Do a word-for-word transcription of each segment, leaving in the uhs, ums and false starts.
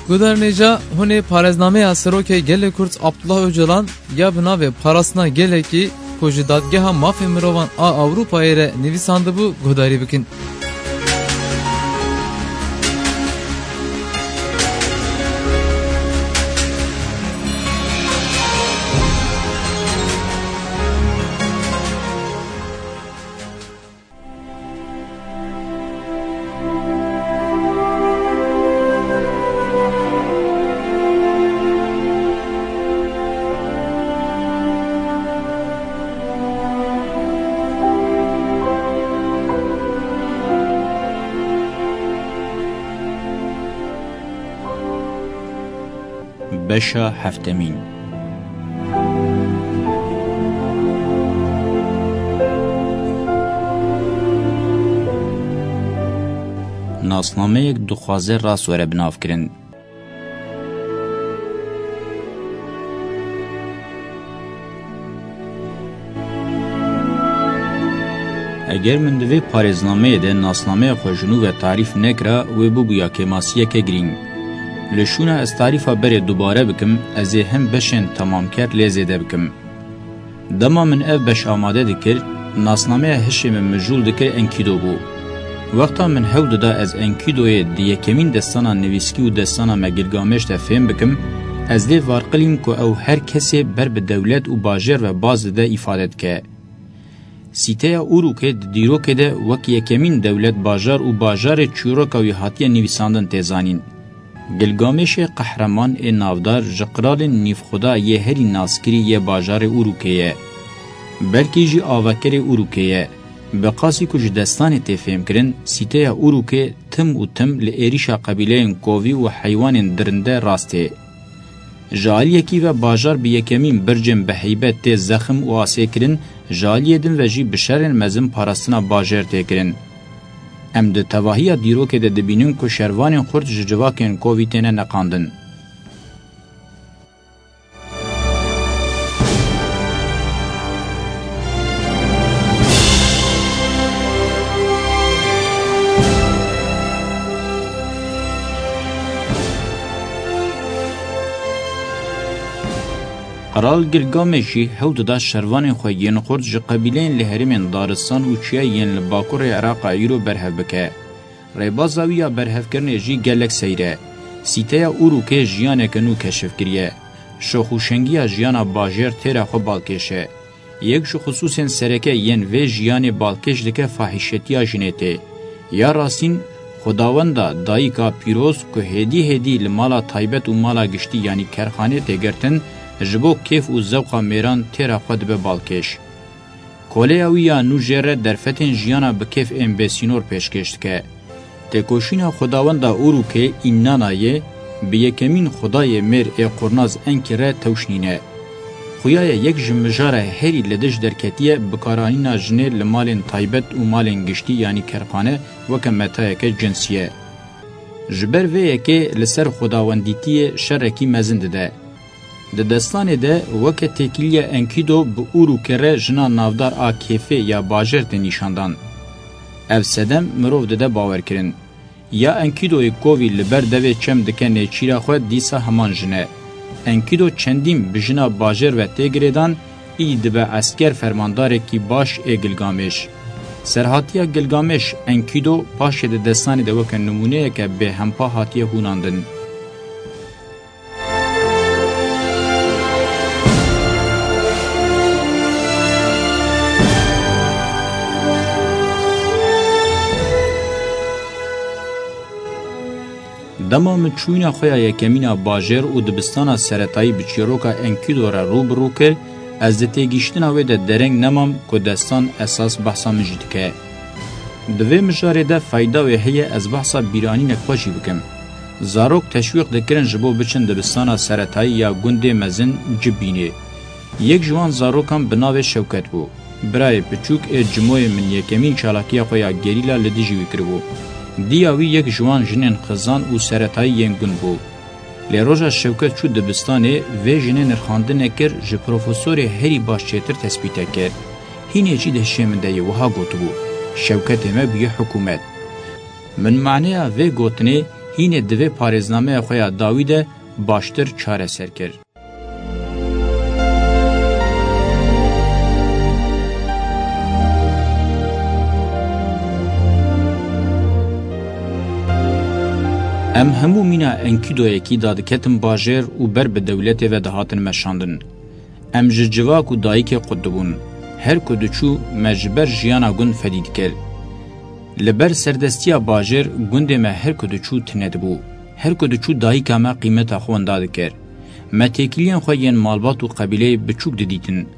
Guhdarên hêja, hûn ê parêznameya Serokê Gelê Kurd Abdullah Ocalan ya bi navê Parastina Gelekî ku ji Dadgeha Mafê Mirovan a Ewropayê re nivîsandibû guhdarî bikin. Beşa heftemîn. Nasnameyek dixwaze rast were binavkirin. Eger min di vê parêznameyê de nasnameya xwe ji nû ve tarîf nekira, wê bibûya kêmasiyeke girîng. Li şûna ez tarîfa berê dubare bikim, ez ê hin beşên temamker lê zêde bikim. Dema min ev beş amade dikir, nasnameya hişê min mijûl dikir Enkido bû. Wexta min hewl dida ez Enkidoyê di yekemîn destana nivîskî û destana me Gilgamêş de fêm bikim, ez lê varqilîm ku ew her kesê ber bi dewlet û bajêr ve baz dide îfade dike. Sîteya Urûkê di dîrokê de wek yekemîn dewlet, bajar û bajarê çîroka wî hatiye nivîsandin tê zanîn. Gilgamêşê qehreman ê navdar ji qiralên nîvxweda yê herî naskirî yê bajarê Urûkê ye. Belkî jî avekerê Urûkê ye. Bi qasî ku ji destanê tê fêmkirin, sîteya Urûkê tim û tim li êrîşa qebîleyên kovî û heywanên dirinde rast tê. Ji aliyekî ve bajar bi yekemîn bircên bi heybet tê zexm û asê kirin, ji aliyê din ve jî bi şerên mezin parastina bajêr tê kirin. Em di tevahiya dîrokê de dibînin ku şervanên xurt ji civakên kovî têne neqandin. Qral Gilgamêş jî hewl dida şervanên xwe yên xurt ji qebîleyên li herêmên daristan û çiyayê yên li bakurê Iraqa îro berhev bike. Rêbaza wî ya berhevkirinê jî gelek seyr e. Sîteya Urûkê jiyaneke nû keşif kiriye. Şox û şengiya jiyana bajêr têra xwe balkêş e. Yek ji xisûsên sereke yên vê jiyanê balkêş dike fahîşetiya jinê tê. Ya rastîn, Xwedawenda dayika pîroz ku hêdî hêdî li mala taybet û mala giştî, yanî kerxanê tê girtin, ji bo kêf û zewqa mêran têra xwe dibe balkêş. Koleya wî ya nû jê re derfetên jiyana bi kêf ên bêsînor pêşkêş dike. Têkoşîna xwedawenda Urûkê Înnanayê bi yekemîn xwedayê mêr ê qurnaz Enkî re tewş nîne. Xuya ye yek ji mijara herî li dij derketiye bikaranîna jinê li malên taybet û malên giştî, yanî kerxane, weke metayeke cinsî ye. Ji ber vê yekê li ser xwedawendîtiyê şerekî mezin dide. Di destanê de weke têkiliya Enkido bi Urûkê re jina navdar a kêfê ya bajêr tê nîşandan. Ev sedem mirov dide bawerkirin. Ya Enkidoyê kovî li ber devê çem dike nêçîra xwe, dîsa heman jin e. Enkido çendîn bi jina bajêr ve tê girêdan, î dibe esker fermandarekî baş ê Gilgamêş. Serhatiya Gilgamêş, Enkido, paşê di destanê de weke nimûneyeke bêhempa hatiye hûnandin. Dema min çûyîna xwe ya yekemîn a bajêr û dibistana seretayî bi çîroka Enkido re rû bi rû kir, ez di têgihiştina wê de dereng nemam ku destan esas behsa min jî dike. Di vê mijarê de feyda wê heye ez behsa bîranînek xwe jî bikim. Zarok teşwîq dikirin ji bo biçin dibistana seretayî ya gundê mezin Cibînê. Yek ji wan zarokan bi navê Şewket bû. Birayê piçûk ê Cimoyê min yekemîn çalakiya xwe ya gerîla li dijî wî kiribû. Diya wî yek ji wan jinên xizan û seretayî yên gund bû. Lê roja Şewket çû dibistanê, vê jinê nirxandine kir, ji profesorê herî baş çêtir tespîte kir. Hînê jî di hişê min de yê wiha gotibû, Şewketê me bûye hikûmet. Min maneya vê gotinê Hînê di vê parêznameya xwe ya dawî de baştir çareser kir. Em hemû mîna Enkidoyekî dadiketin bajêr û ber bi dewletê ve dihatin meşandin. Em ji civak û dayikê qut dibûn. Her ku diçû, me ji ber jiyana gund fedî dikir. Li ber serdestiya bajêr gundê me her ku diçû tune dibû. Her ku diçû dayika me qîmeta xwe winda dikir. Me têkiliyên xwe yên malbat û qebîleyê biçûk didîtin.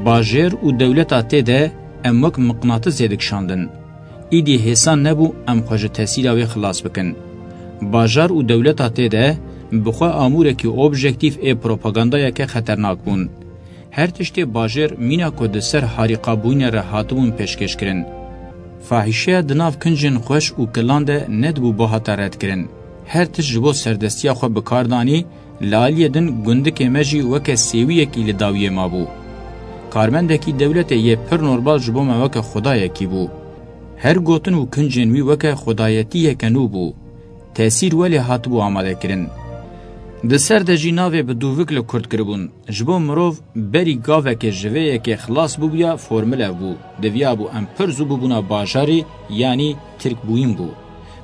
Bajêr û dewleta tê de em wek miqnatizê dikişandin. Îdî hêsan nebû em xwe ji tesîra wê xilas bikin. Bajar û dewleta tê de bi xwe amûrekî objektîf ê propagandayeke xeternak bûn. Her tiştê bajêr mîna ku di ser harîqabûyînê re hatibûn pêşkêşkirin. Fahîşeya di nav kincên xweş û kilan de nedibû bihata redkirin. Her tişt ji bo serdestiya xwe bi kar danî, li aliyê din gundikê me jî weke sêwiyekî li dawiyê mabû. Karmendekî dewletê yê pir normal ji bo me weke xwedayekî bû. Her gotin û kincên wî weke xwedayetiyeke nû bû. Tesîr welê hatibû amadekirin. Di ser de jî navê bi dûvik li kurd kiribûn. Ji bo mirov berî gavekê ji vê yekê xilas bûbûya formule bû. Diviyabû em pir zû bûbûna bajarî, yanî Tirk bûyîn bû.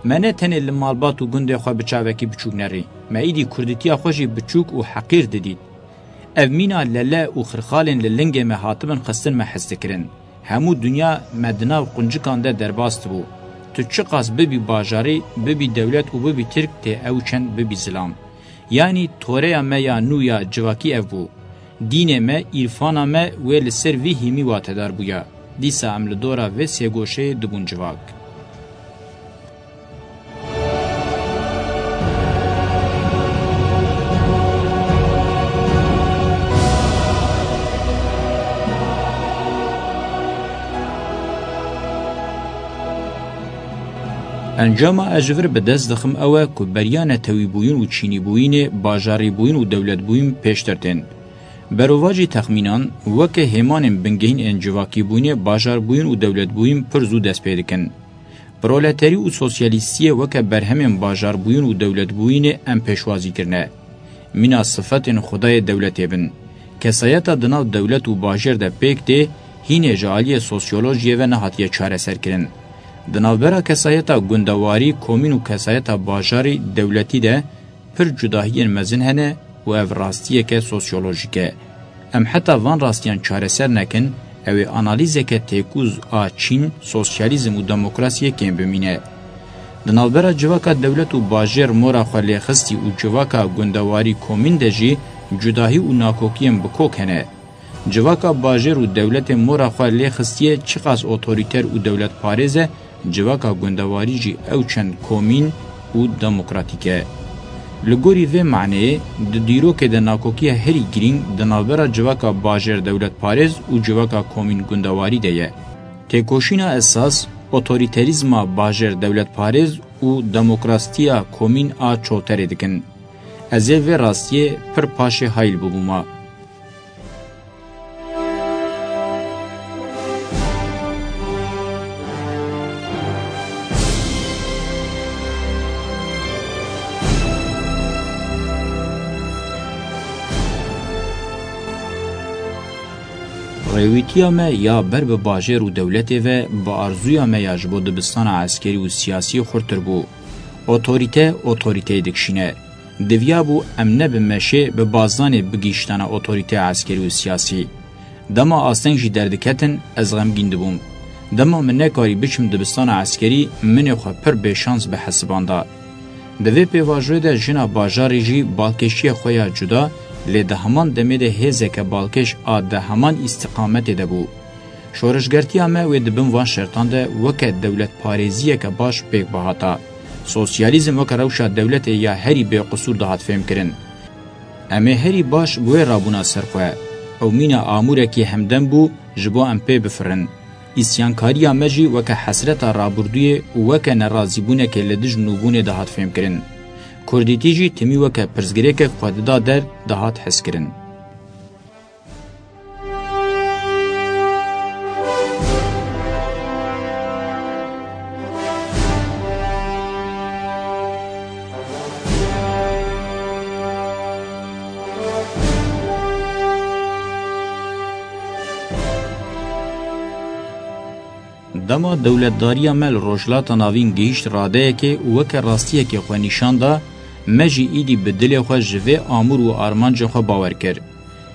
Me ne tenê li malbat û gundê xwe bi çavekî biçûk nerî. Me îdî kurditiya xwe jî biçûk û heqîr didît. Ev mîna lele û xirxalên li lingê me hatibin xistin me hez dikirin. Hemû dinya me di nav quncikan de derbas dibû. Tu çiqas bibî bajarî, bibî dewlet û bibî Tirk tê ew çend bibî zilam. Yanî toreya me ya nû ya civakî ev bû. Dînê me, îrfana me wê li ser vî hîmî watedar bûya. Dîsa em li dora vê sêgoşeyê dibûn civak. Encama ez ji vir bi dest dixim ew e ku beriya netewîbûyîn û çînîbûyînê bajarîbûyîn û dewletbûyîn pêştir tên. Berovajî texmînan, weke hêmanên bingehîn ên civakîbûyînê bajarbûyîn û dewletbûyîn pir zû dest pê dikin. Proleterî û sosyalîstiyê weke berhemên bajarbûyîn û dewletbûyînê em pêşwazî kirine. Mîna sifetên xwedayê dewletê bin. Kesayeta di nav dewlet û bajêr de pêk tê, hînê ji aliyê sosyolojiyê ve nehatiye çareserkirin. Di navbera kesayeta gundewarî, komîn û kesayeta bajarî dewletî de pir cudahiyên mezin hene û ev rastiyeke sosyolojîk e. Em heta van rastiyan çareser nekin, ew ê analîzeke têkûz a çîn, sosyalîzm û demokrasiyê kêm bimîne. Di navbera civaka dewlet û bajêr mora xwe lêxistî û civaka gundewarî komîn de jî cudahî û nakokiyên bi kok hene. Civaka bajêr û dewletê mora xwe lê xistiye, çiqas otorîter û dewletparêz e, civaka gundewarî jî ew çend komîn û demokratîk e. Li gorî vê maneyê, di dîrokê de nakokiya herî girîng di navbera civaka bajêr dewletparêz û civaka komîn gundewarî de ye. Têkoşîna esas, otorîterîzma bajêr dewletparêz û demokrasiya komîn a çolterê dikin. Ez ê vê rastiyê pir paşê hayl bibûma. Rêwîtiya me ya ber bi bajêr û dewletê ve bi arzuya me ya ji bo dibistana eskerî û siyasî xurtir bû. Otorîte, otorîteyê dikişîne. Diviyabû em ne bi meşê, bi bazdanê bigihîştana otorîteya eskerî û siyasî. Dema asteng jî derdiketin, ez xemgîn dibûm. Dema min nekarî biçim dibistana eskerî, min ê xwe pir bêşans bihesibanda. Di vê pêvajoyê de jina bajarê jî balkêşiya xwe ya cuda, lê di heman demê de hêzeke balkêş a di heman îstiqametê de bû. Şoreşgertiya me wê di bin van şertan de weke dewletparêziyeke baş pêk bihata. Sosyalîzm weke rewşa dewletê ya herî bêqisûr dihat fêmkirin. Em ê herî baş bi wê rabûna ser xwe. Ew mîna amûrekî hemdem bû ji bo em pê bifirin. Îsyankariya me jî weke hesreta rabûrdûyê û weke nerazîbûnekê li dij nûbûnê dihat fêmkirin. Kurdîtî jî timî weke pirsgirêkek xwe dida der dihat hezkirin. Dema dewletdariya me li Rojhilata Navîn gihîşt radeyekê û weke rastiyekê xwe nîşan da, me jî îdî bi dilê xwe ji vê amûr û armancên xwe bawer kir.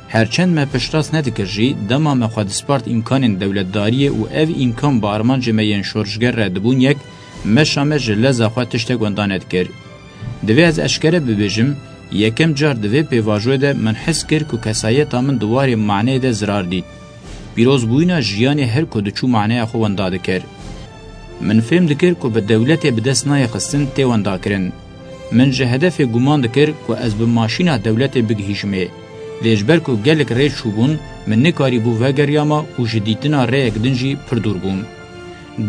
Her çend me piştrast nedikir jî, dema me xwe dispart îmkanên dewletdariyê û ev îmkan bi armancê me yên şorişger re dibûn yek, meşa me ji leza xwe tiştek wenda nedikir. Divê ez eşkere bibêjim, yekem car di vê pêvajoyê de min his kir ku kesayeta min di warê maneyê de zirar dît. Pîrozbûyîna jiyanê her ku diçû maneya xwe wenda dikir. Min fêm dikir ku bi dewletê bi dest nayê xistin tê wendakirin. Min ji hedefê guman dikir ku ez bi maşîna dewletê bigihîjimê. Lê ji ber ku gelek rê çûbûn, min nekarîbû vegeriyama û ji dîtina rêyek din jî pir dûr bûm.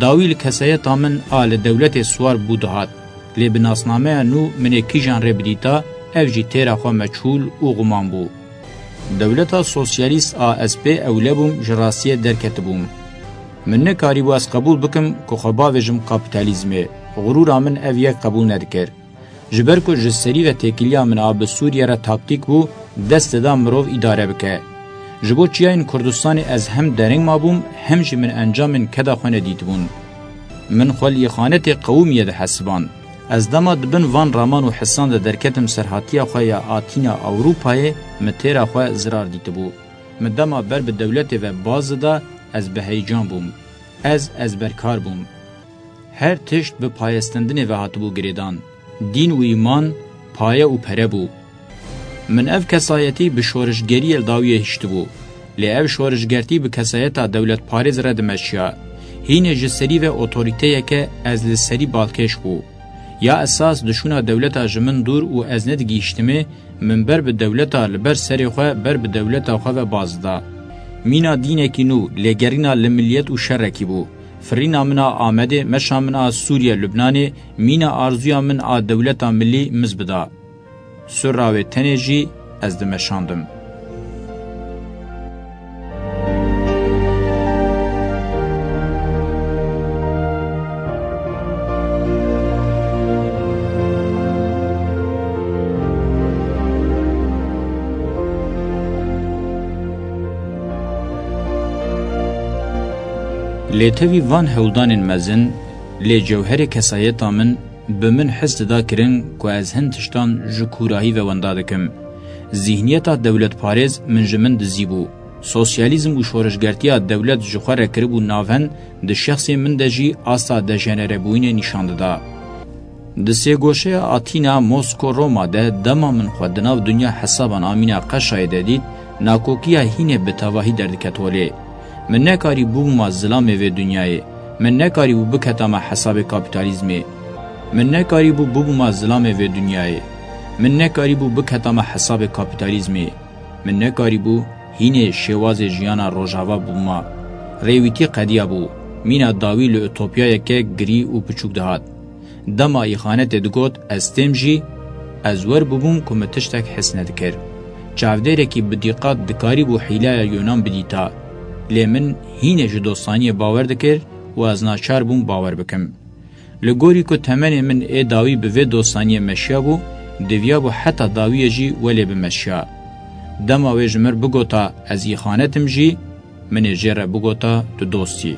Dawî li kesayeta min a li dewletê siwar bû dihat, lê bi nasnameya nû min ê kîjan rê bidîta, ev jî têra xwe meçhûl û guman bû. Dewleta sosyalîst a ez pê ewle bûm, ji rastiyê derketibûm. Min nekarîbû ez qebûl bikim ku xwe bavêjim kapîtalîzmê. Xurûra min ev yek qebûl nedikir. Ji ber ku ji serî ve têkiliya min a bi Sûriye re taktîk bû, dest dida mirov îdare bike. Ji bo çiyayên Kurdistanê ez hem dereng mabûm, hem jî min encamên keda xwe nedîtibûn. Min xwe li îxanetê qewimiye dihesiband. Ez dema di bin van raman û hisan de derketim serhatiya xwe ya Atîna Ewropayê, min têra xwe zirar dîtibû. Min dema ber bi dewletê ve baz dida, ez bi heyecan bûm. Ez ezberkar bûm. Her tişt bi payestendinê ve hatibû girêdan. Dîn û îman, paye û pere bû. Min ev kesayetî bi şorişgeriyê li dawiyê hiştibû. Lê ev şorişgertî bi kesayeta dewletparêz re dimeşiya. Hînê ji serî ve otorîteyeke ez li serî balkêş bû. Ya esas di şûna dewleta ji min dûr û ez nedigihîştimê, min ber bi dewleta li ber serê xwe, ber bi dewleta xwe ve baz da. Mîna dînekî nû, lêgerîna li miliyet û şerekî bû. Firîna min a Amedê, meşa min a Sûriye, Lubnanê, mîna arzuya min a dewleta milî miz bida. Sirra wê tenê jî ez dimeşandim. Lê tevî van hewldanên mezin, lê cewherê kesayeta min bi min his dida kirin ku ez hin tiştan ji kûrahî ve wenda dikim. Zîhniyeta dewletparêz min ji min dizîbû. Sosyalîzm û şoreşgertiya dewlet ji xwe re kiribû navend, di şexsê min de jî asta dejenerebûyînê nîşan dida. Di sêgoşeya Atîna, Mosko, Roma de dema min xwe di nav dinya hesaban a mîna qeşayê de dît, nakokiya hînê bi tevahî derdiket holê. Min nekarî bibûma zilamê vê dinyayê. Min nekarîbû biketama hesabê kapîtalîzmê. Min nekarîbû bibûma zilamê vê dinyayê. Min nekarîbû biketama hesabê kapîtalîzmê. Min nekarîbû hînê şêwazê jiyana rojava bûma. Rêwîtî qediyabû. Mîna dawî li utopyayeke girî û piçûk dihat. Dema îxanetê digot, ez têm jî, ez wer bûbûm ku min tiştek his nedikir. Çavdêrekî bi dîqat dikarîbû hîlaya Yonan bidîta. Lê min hînê ji dostaniyê bawer dikir û ez naçar bûm bawer bikim. Li gorî ku temenê min ê dawî bi vê dostaniyê meşiyabû, diviyabû heta dawiyê jî welê bimeşiya. Dema wê ji mir bigota, ez îxanetim jî, min ê jê re bigota, tu dost î.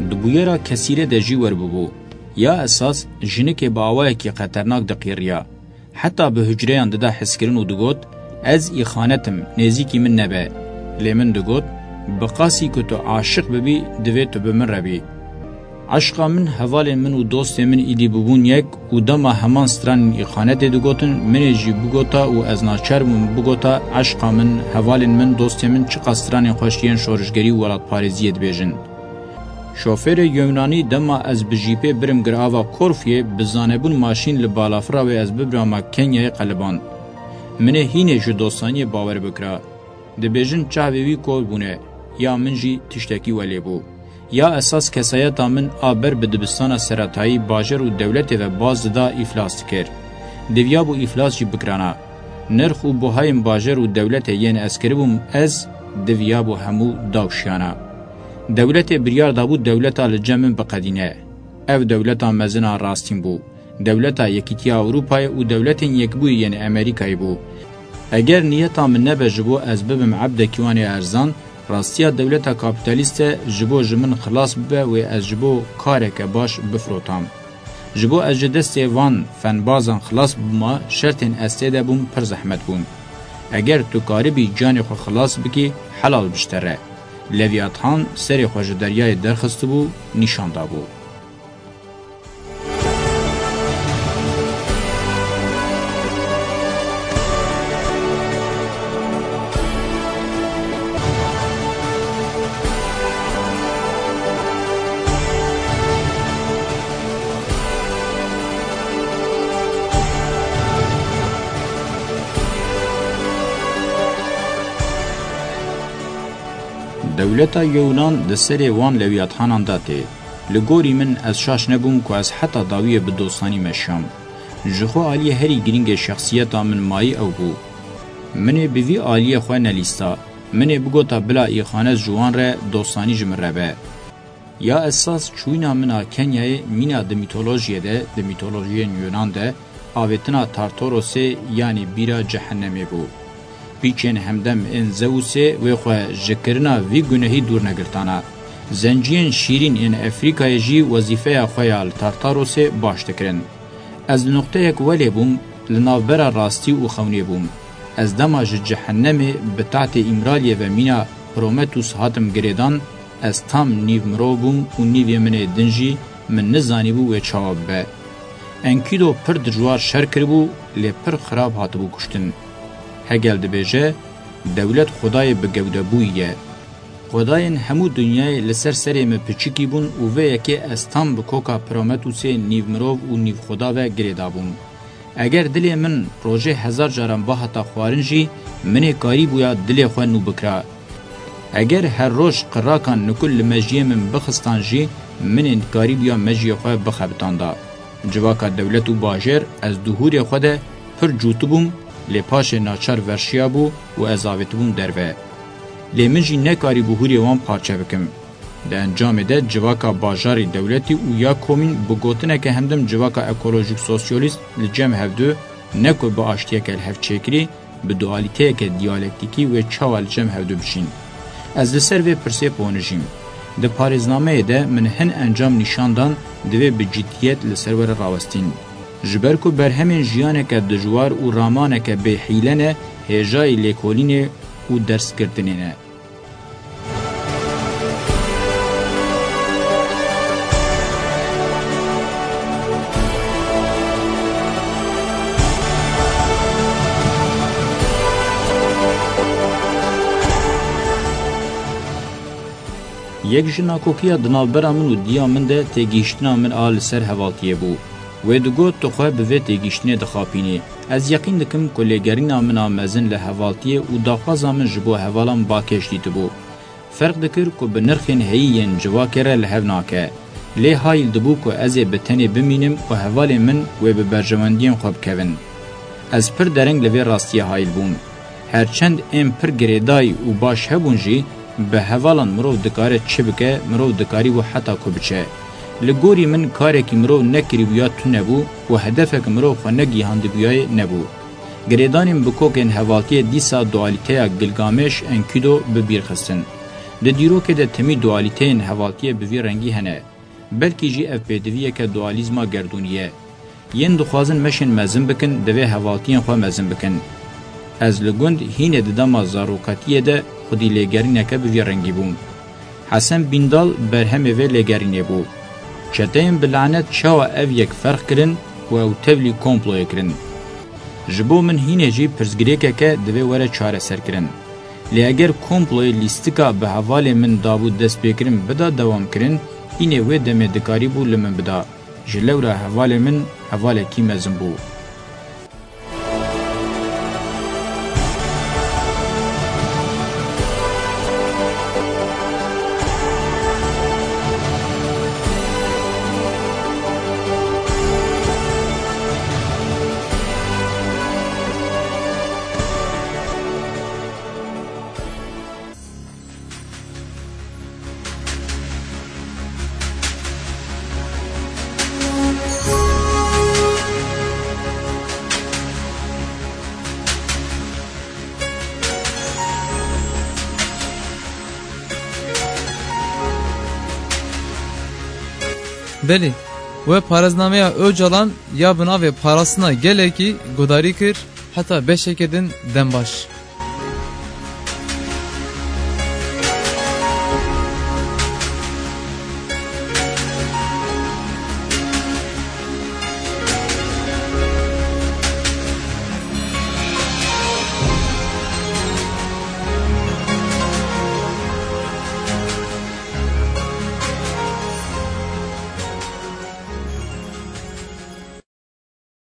Di bûyera kesîre de jî wer bûbû. Ya esas, jinikê bi awayekî xeternak diqîriya. Heta bi hucreyan dida hezkirin û digot, ez îxanet im, nêzîkî min nebe. Lê min digot, bi qasî ku tu aşiq bibî, divê tu bi min re bî. Eşqa min hevalên min û dostên min îdî bûbûn yek û dema heman stranên îxanetê digotin, min ê jî bigota û ez naçar bûm bigota, eşqa min, hevalên min, dostên min çiqas stranên xweş yên şorişgerî û welatparêziyê dibêjin. Şofêrê Yewnanî dema ez bi jîpê birim girava Korfuyê, bi zanebûn maşîn li balafira wê ez bibirama Kenyayê qeliband. Min ê hînê ji dostaniyê bawer bikira. Dibêjin çavê wî kor bûne, ya min jî tiştekî welê bû. Ya esas kesayeta min a ber bi dibistana seretayî bajar û dewletê ve baz dida îflas dikir. Diviyabû îflas jî bikirana. Nirx û buhayên bajar û dewletê yên ez kiribûm ez, Diviyabû hemû dawşiyana. Dewletê biryar dabû dewleta li cem min biqedîne. Ev dewleta mezin a rastîn bû. Dewleta Yekîtiya Ewropayê û Dewletên Yekbûyî yên Amerîkayê bû. Eger niyeta min nebe ji bo ez bibim ebdekî wan ê erzan, rastiya dewleta kapîtalîst e ji bo ji min xilas bibe wê ez ji bo kareke baş bifirotam. Ji bo ez ji destê van fenbazan xilas bibima, şertên ez tê de bûm pir zehmet bûn. Eger tu karibî canê xwe xilas bikî, helal bi ji te re. Levîathan serê xwe ji deryayê derxistibû, nîşan dabû. Dewleta Yewnan di serê wan lewiyathanan de tê. Li gorî min ez şaş nebûm ku ez heta dawiyê bi dostanî meşiyam. Ji xwe aliyê herî girîngê şexsiyeta min mayî ew bû. Min ê bi vî aliyê xwe nelîsta. Min ê bigota bila îxanet ji wan re dostanî ji min re be. Ya esas çûyîna min a Kenyayê mîna di mîtolojiyê de, di mîtolojiyên Yunan de, avêtina Tartorosê yanî bîra cehennemê bû. Pîçên hemdem ên Zeusê wê xwe ji kirina vî gunehî dûr negirtana. Zenciyên şîrîn ên Efrîkayê jî wezîfeya xwe ya li Tartarosê baş dikirin. Ez li nuqteyek welê bûm, li navbera rastî û xewnê bûm. Ez dema ji cehennemê bi tahtê Îmraliyê ve mîna Prometheus hatim girêdan, ez tam nîv mirov bûm û nîvê min ê din jî min nizanîbû wê çawa bibe. Enkido pir dijwar şer kiribû, lê pir xirab hatibû kuştin. Hegel dibêje, dewlet xwedayê bi gewdebûyî ye. Xwedayên hemû dinyayê li ser serê min piçikî bûn û vê yekê ez tam bi koka Prometheusê nîv mirov û nîv xweda ve girêdabûm. Eger dilê min rojê hezar caran bihata xwarin jî, min ê karîbûya dilê xwe nû bikira. Eger her roj qirakan nikul li mejiyê min bixistan jî, min ê dikarîbûya mejiyê xwe bixebitanda. Civaka dewlet û bajêr ez di hûrê xwe de pir cûtibûm, lê paşê naçar verşiyabû û ez avêtibûm derve. Lê min jî nekarîbû hûrê wan parçe bikim. Di encamê de civaka bajarî dewletî û ya komîn bi gotineke hemdem civaka ekolojîk sosyalîst li cem hevdu ne ku bi aştiyeke li hev çêkirî, bi dualîteyeke diyalektîkî wê çawa li cem hevdu bişîn? Ez li ser vê pirsê ponijîm. Di parêznameyê de min hin encam nîşan dan, divê bi ciddiyet li ser were rawestîn. Ji ber ku berhemên jiyaneke dijwar û ramaneke bêhîle ne, hêjayî lêkolînê û dersgirtinê ne. Yek ji nakokiya di navbera min û diya min de têgihiştina min a li ser hevaltiyê bû. Wê digot, tu xwe bi vê têgihiştinê dixapînî. Ez yeqîn dikim ku lêgerîna min a mezin li hevaltiyê û daxwaza min ji bo hevalan Bakêş dîtibû. Ferq dikir ku bi nirxên heyî yên civakê re li hev nake. Lê hayîl dibû ku ez ê bi tenê bimînim û hevalên min wê bi berjewendiyên xwe bikevin. Ez pir dereng li vê rastiyê hayîl bûm. Her çend êm pir girêdayî û baş hebûn jî, bi hevalan mirov dikare çi bike, mirov dikarîbû heta ku biçe. Li gorî min karekî mirov nekirîbûya tune bû û hedefek mirov xwe negihandibûyayê nebû. Girêdanên bi kokên hevaltiyê dîsa dualîteya Gilgamêş, Enkidu bi bîr xistin. Di dîrokê de timî dualîteyên hevaltiyê bi vî rengî hene. Belkî jî ev pêdiviyeke dualîzma gerdûnî ye. Yên dixwazin meşên mezin bikin, divê hevaltiyên xwe mezin bikin. Ez li gund hînê di dema zarokatiyê de xwedî lêgerîneke bi vî rengî bûm. Hesen Bîndal berhemê vê lêgerînê bû. Çeteyên bi lanet çawa ev yek ferq kirin û ew tevlî komployê kirin? Ji bo min hînê jî pirsgirêkeke divê were çareserkirin. Lê eger komployê lîstika bi hevalê min dabû destpêkirin bida dewamkirin, hînê wê demê dikarîbû li min bida. Ji lewra hevalê min hevalekî mezin bû. Belê, we parêznameya Ocalan ya bi navê Parastina Gelekî guhdarî kir, heta beşeke din dem baş.